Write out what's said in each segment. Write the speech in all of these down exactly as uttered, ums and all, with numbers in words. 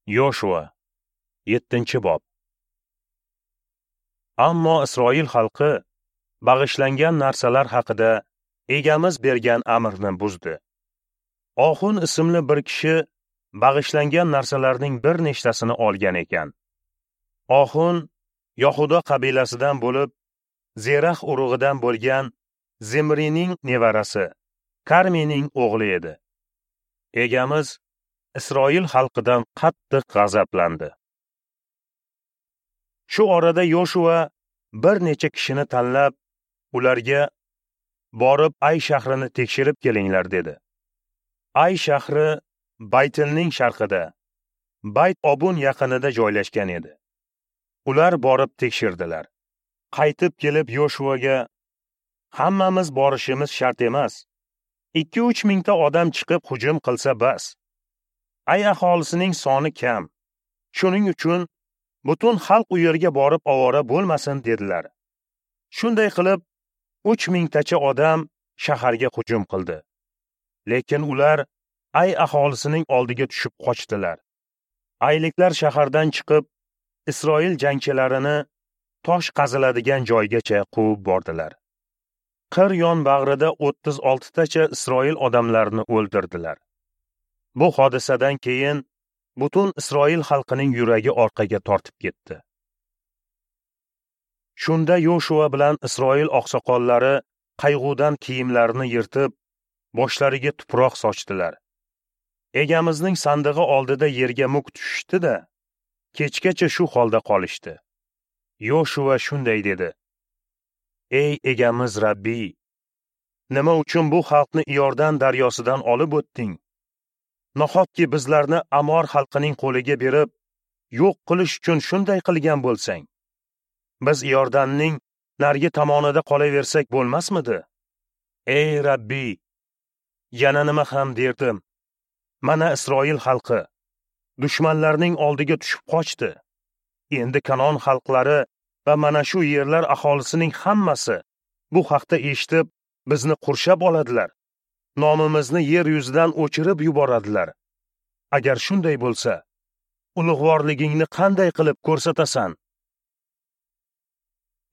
Yoshua yettinchi bob. Ammo Isroil xalqi bag'ishlangan narsalar haqida Egamiz bergan amrni buzdi. Oxun ismli bir kishi bag'ishlangan narsalarning bir nechtasini olgan ekan. Oxun Yahuda qabilasidan bo'lib, Zerax urug'idan bo'lgan Zimrining nevarasi, Karmining o'g'li edi. Egamiz Isroil xalqidan qattiq g'azablandi. Shu orada Yoshua bir necha kishini tanlab, ularga borib Ay shahrini tekshirib kelinglar dedi. Ay shahri Baytilning sharqida, Bayt Obun yaqinida joylashgan edi. Ular borib tekshirdilar. Qaytib kelib Yoshuaga: "Hammamiz borishimiz shart emas. ikki uch mingta odam chiqib hujum qilsa bas. Ay aholisining soni kam. Shuning uchun butun xalq u yerga borib ovora bo'lmasin" dedilar. Shunday qilib uch mingtacha odam shaharga hujum qildi. Lekin ular Ay aholisining oldiga tushib qochdilar. Ayliklar shahardan chiqib Isroil jangchilarini tosh qaziladigan joygacha quvib bordilar. Qir yon bag'rida o'ttiz oltitacha Isroil odamlarini o'ldirdilar. Bu hodisadan keyin butun Isroil xalqining yuragi orqaga tortib ketdi. Shunda Yoshua bilan Isroil oqsoqollari qayg'udan kiyimlarini yirtib, boshlariga tuproq sochdilar. Egamizning sandig'i oldida yerga muk tushishdi-da, kechgacha shu holda qolishdi. Yoshua shunday dedi: "Ey Egamiz Rabbiy, nima uchun bu xalqni Iordan daryosidan olib o'tding? Nahotki bizlarni Amor xalqining qo'liga berib, yo'q qilish uchun shunday qilgan bo'lsang? Biz Iordanning narigi tomonida qolaversak bo'lmasmidi? Ey Rabbiy, yana nima ham derdim? Mana Isroil xalqi dushmanlarning oldiga tushib qochdi. Endi Kanon xalqlari va mana shu yerlar aholisining hammasi bu haqda eshitib, bizni qurshab oladilar. Nomimizni yer yuzidan o'chirib yuboradilar. Agar shunday bo'lsa, ulug'vorligingni qanday qilib ko'rsatasan?"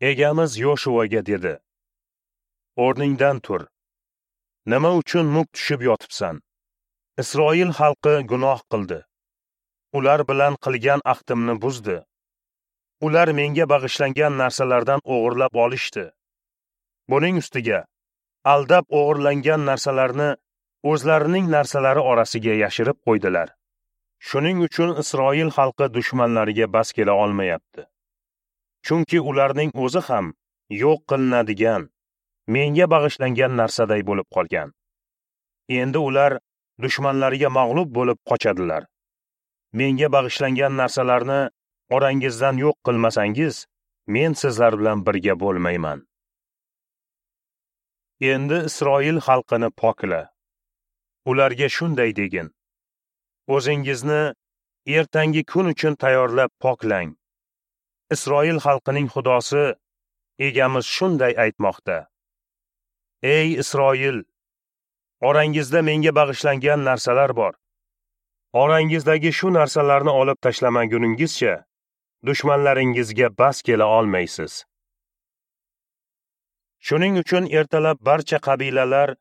Egamiz Yoshuaga dedi: "O'rningdan tur. Nima uchun muk tushib yotibsan? Isroil xalqi gunoh qildi. Ular bilan qilgan ahdimni buzdi. Ular menga bag'ishlangan narsalardan o'g'irlab olishdi. Buning ustiga aldab o'g'irlangan narsalarni o'zlarining narsalari orasiga yashirib qo'ydilar. Shuning uchun Isroil xalqi dushmanlariga bas kela olmayapti. Chunki ularning o'zi ham yo'q qilinadigan, menga bag'ishlangan narsaday bo'lib qolgan. Endi ular dushmanlariga mag'lub bo'lib qochadilar. Menga bag'ishlangan narsalarni orangizdan yo'q qilmasangiz, men sizlar bilan birga bo'lmayman. Endi Isroil xalqini pokla. Ularga shunday degin: O'zingizni ertangi kun uchun tayyorlab poklang. Isroil xalqining Xudosi Egamiz shunday aytmoqda: Ey Isroil, orangizda menga bag'ishlangan narsalar bor. Orangizdagi shu narsalarni olib tashlamaguningizcha dushmanlaringizga bas kela olmaysiz. Shuning uchun ertalab barcha qabilalar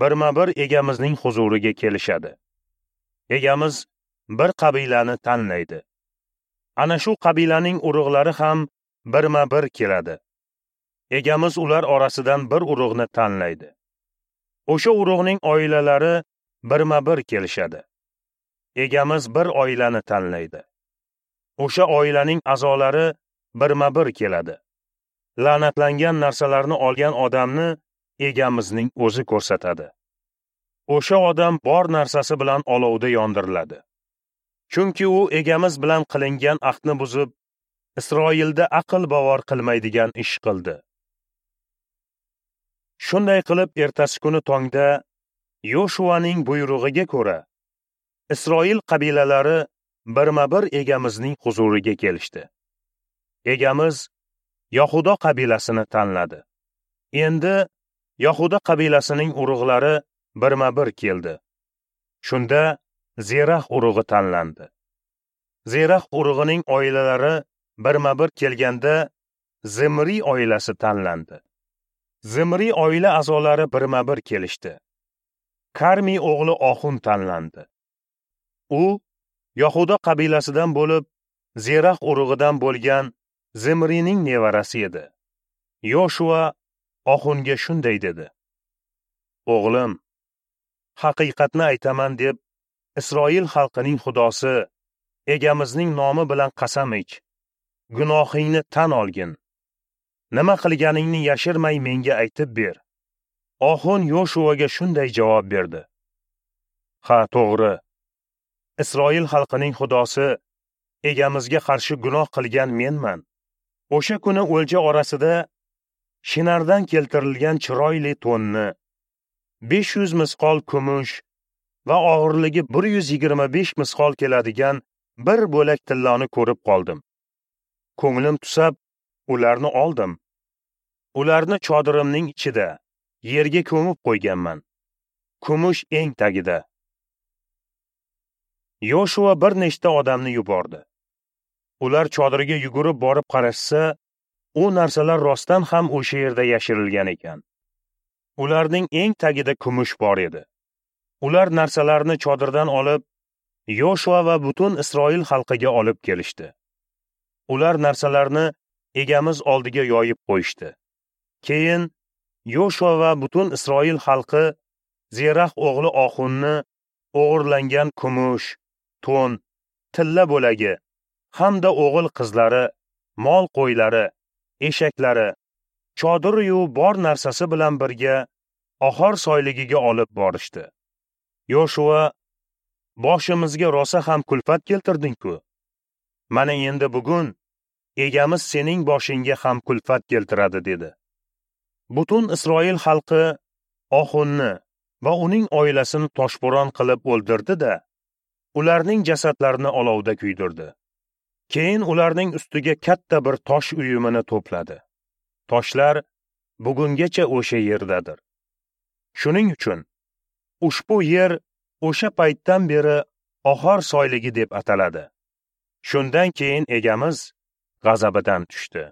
birma-bir Egamizning huzuriga kelishadi. Egamiz bir qabilani tanlaydi. Ana shu qabilaning urug'lari ham birma-bir keladi. Egamiz ular orasidan bir urug'ni tanlaydi. O'sha urug'ning oilalari birma-bir kelishadi. Egamiz bir oilani tanlaydi. O'sha oilaning a'zolari birma-bir keladi. La'natlangan narsalarni olgan odamni Egamizning o'zi ko'rsatadi. O'sha odam bor narsasi bilan olovda yondiriladi. Chunki u Egamiz bilan qilingan ahdni buzib, Isroilda aql bovar qilmaydigan ish qildi. Shunday qilib ertasi kuni tongda Yoshuaning buyrug'iga ko'ra Isroil qabilalari birma-bir Egamizning huzuriga kelishdi. Egamiz Yahudo qabilasini tanladi. Endi Yahuda qabilasining urug'lari birma-bir keldi. Shunda Zerax urug'i tanlandi. Zerax urug'ining oilalari birma-bir kelganda Zimri oilasi tanlandi. Zimri oila a'zolari birma-bir kelishdi. Karmi o'g'li Oxun tanlandi. U Yahuda qabilasidan bo'lib, Zerax urug'idan bo'lgan Zimrining nevarasi edi. Yoshua Oxunga shunday dedi: O'g'lim, haqiqatni aytaman deb Isroil xalqining Xudosi Egamizning nomi bilan qasam ich. Gunohingni tan olgin. Nima qilganingni yashirmay menga aytib ber. Oxun Yoshuaga shunday javob berdi: Ha, to'g'ri. Isroil xalqining Xudosi Egamizga qarshi gunoh qilgan menman. O'sha kuni o'lja orasida Shinardan keltirilgan chiroyli to'nni, besh yuz misqol kumush va og'irligi bir yuz yigirma besh misqol keladigan bir bo'lak tilloni ko'rib qoldim. Ko'nglim tusab, ularni oldim. Ularni chodirimning ichida yerga ko'mib qo'yganman. Kumush eng tagida. Yoshua bir nechta odamni yubordi. Ular chodirga yugurib borib qarashsa, u narsalar rostdan ham o'sha yerda yashirilgan ekan. Ularning eng tagida kumush bor edi. Ular narsalarni chodirdan olib, Yoshua va butun Isroil xalqiga olib kelishdi. Ular narsalarni Egamiz oldiga yoyib qo'yishdi. Keyin Yoshua va butun Isroil xalqi Zerax o'g'li Oxunni o'g'irlangan kumush, to'n, tilla bo'lagi hamda o'g'il qizlari, mol qo'ylari, eshaklari, chodiri-yu bor narsasi bilan birga Ohor soyligiga olib borishdi. Yoshua: Boshimizga rosa ham kulfat keltirding-ku. Mana endi bugun Egamiz sening boshingga ham kulfat keltiradi, dedi. Butun Isroil xalqi Oxunni va uning oilasini toshbo'ron qilib o'ldirdi-da, ularning jasadlarini olovda kuydirdi. Keyin ularning ustiga katta bir tosh uyumini to'pladi. Toshlar bugungacha o'sha yerdadir. Shuning uchun ushbu yer o'sha paytdan beri Ohor soyligi deb ataladi. Shundan keyin Egamiz g'azabidan tushdi.